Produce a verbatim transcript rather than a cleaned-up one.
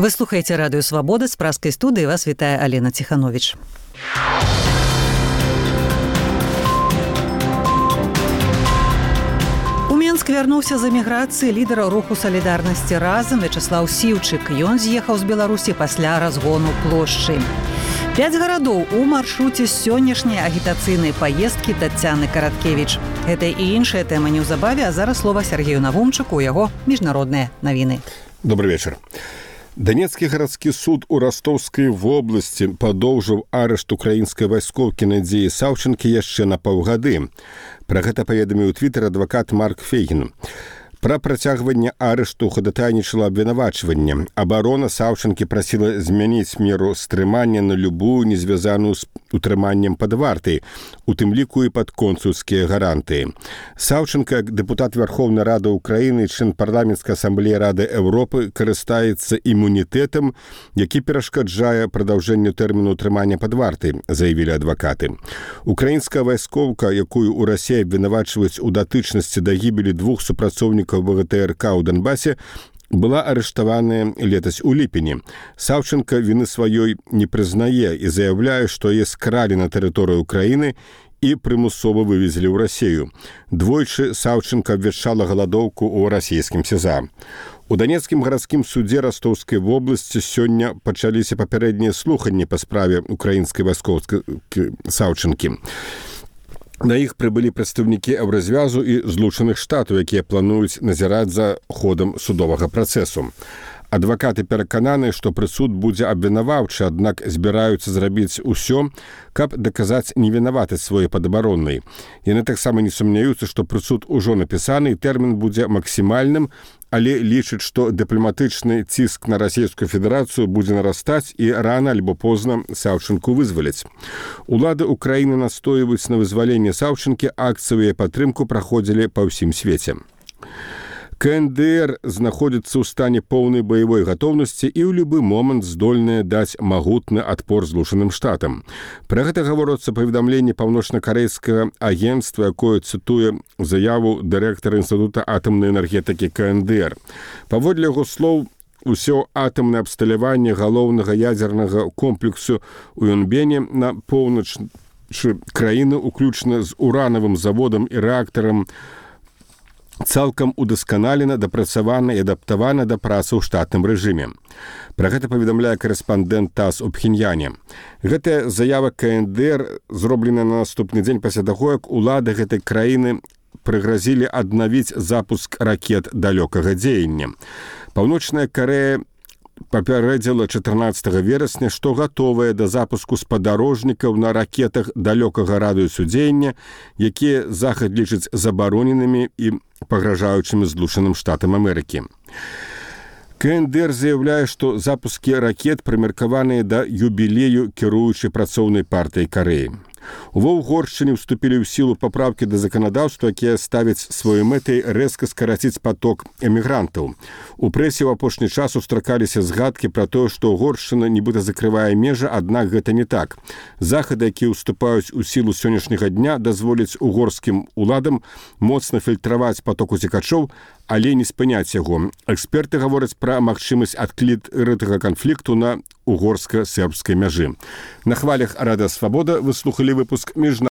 Вы слухаеце радыё Свабода, з праскай студыі вас вітае Алена Ціхановіч. У Менск вярнуўся з эміграцыі лідар руху салідарнасці разам Вячаслаў Сіўчык. Ён з'ехаў з Беларусі пасля разгону плошчы. Пяць гарадоў у маршруце сённяшняй агітацыйнай паездкі Таццяны Караткевіч. Гэта і іншая тэма неўзабаве, а зараз слова Сергею Навумчыку, у яго міжнародныя навіны. Добрый вечар. Данецкі гарадскі суд у Ростовскай вобласці падоўжыў арышт украінскай вайскоўкі Надзеі Саўчынкі яшчэ на паўгады. Пра гэта паведаміў у твітэр адвакат Марк Фейгін. Пра працягванне арышту хадатайнічала абвінавачванне. Абарона Саўчынкі прасіла змяніць меру стрымання на любую, не звязаную з утрыманнем пад вартай, у тым ліку і пад консульскія гарантыі. Саўчынка, як дэпутат Верховнай Рады Украіны, член парламенцкай асамблеі Рады Еўропы, карыстаецца імунітэтам, які перашкаджае прадаўжэнню тэрміну утрымання пад вартай, заявілі адвакаты. Украінская вайскоўка, якую ў Расіі абвінавачваюць у датычнасці да гібелі двух супрацоўнікаў ВГТРК ў Донбасе, была арыштаваная летась у ліпені. Саўчынка віны сваёй не прызнае і заяўляе, што яе скралі на тэрыторыю Украіны і прымусова вывезлі ў Расію. Двойчы Саўчынка абвяшчала галадоўку ў расійскім СІЗА. У Данецкім гарадскім судзе Ростовскай вобласці сёння пачаліся папярэднія слуханні па справе украінскай вайскоўскай Саўчынкі. На іх прыбылі прадстаўнікі Еўразвязу і Злучаных Штатаў, якія плануюць назіраць за ходам судовага працэсу. Адвакаты перакананы, што прысуд будзе абвінаваўчы, аднак збіраюцца зрабіць усё, каб даказаць невінаватасць сваёй падабароннай. Яны таксама не сумняюцца, што прысуд ужо напісаны і тэрмін будзе максімальным, але лічыць, што дыпламатычны ціск на Расійскую Федэрацыю будзе нарастаць і рана альбо позна Саўчынку вызваляць. Улады Украіны настойваюць на вызваленне Саўчынкі, акцыі і падтрымку праходзілі па ўсім свеце. КНДР знаходзіцца ў стане поўнай баявой гатоўнасці і ў любы момант здольная даць магутны адпор Злучаным Штатам. Пра гэта гаворыцца паведамленне паўночна-карэйскага агенцтва, якое цытуе заяву дырэктара Інстытута атамнай энергетыкі КНДР. Паводле яго слоў, усё атамнае абсталяванне галоўнага ядзернага комплексу ў Йонбене на поўначы краіны, уключна з уранавым заводам і рэактарам, цалкам удасканалена, дапрацавана і адаптавана да працы ў штатным рэжыме. Пра гэта паведамляе карэспандэнт ТАСС у Пхеньяне. Гэтая заява КНДР зроблена на наступны дзень пасля таго, як улады гэтай краіны прыгразілі аднавіць запуск ракет далёкага дзеяння. Паўночная Карэя папярэдзіла чатырнаццатага верасня, што гатовая да запуску спадарожнікаў на ракетах далёкага радыусу дзеяння, якія захад лічыць забароненымі і пагражаючымі Злучаным Штатам Амерыкі. КНДР заяўляе, што запускі ракет прымеркаваныя да юбілею кіруючай працоўнай партыі Карэі. Ува Угоршчыне ўступілі ў сілу папраўкі да заканадаўства, якія ставяць сваёй мэтай рэзка скараціць паток эмігрантаў. У прэсе ў апошні час устракаліся згадкі пра тое, што Угоршчына нібыта закрывае межы, аднак гэта не так. Захады, якія ўступаюць у сілу сённяшняга дня, дазволяць угорскім уладам моцна фільтраваць паток уцекачоў, але не спыняць яго. Эксперты гавораць пра магчымасць адкрытага канфлікту на угорска-сербскай мяжы. На хвалях Радыё Свабода вы слухалі выпуск міжнародных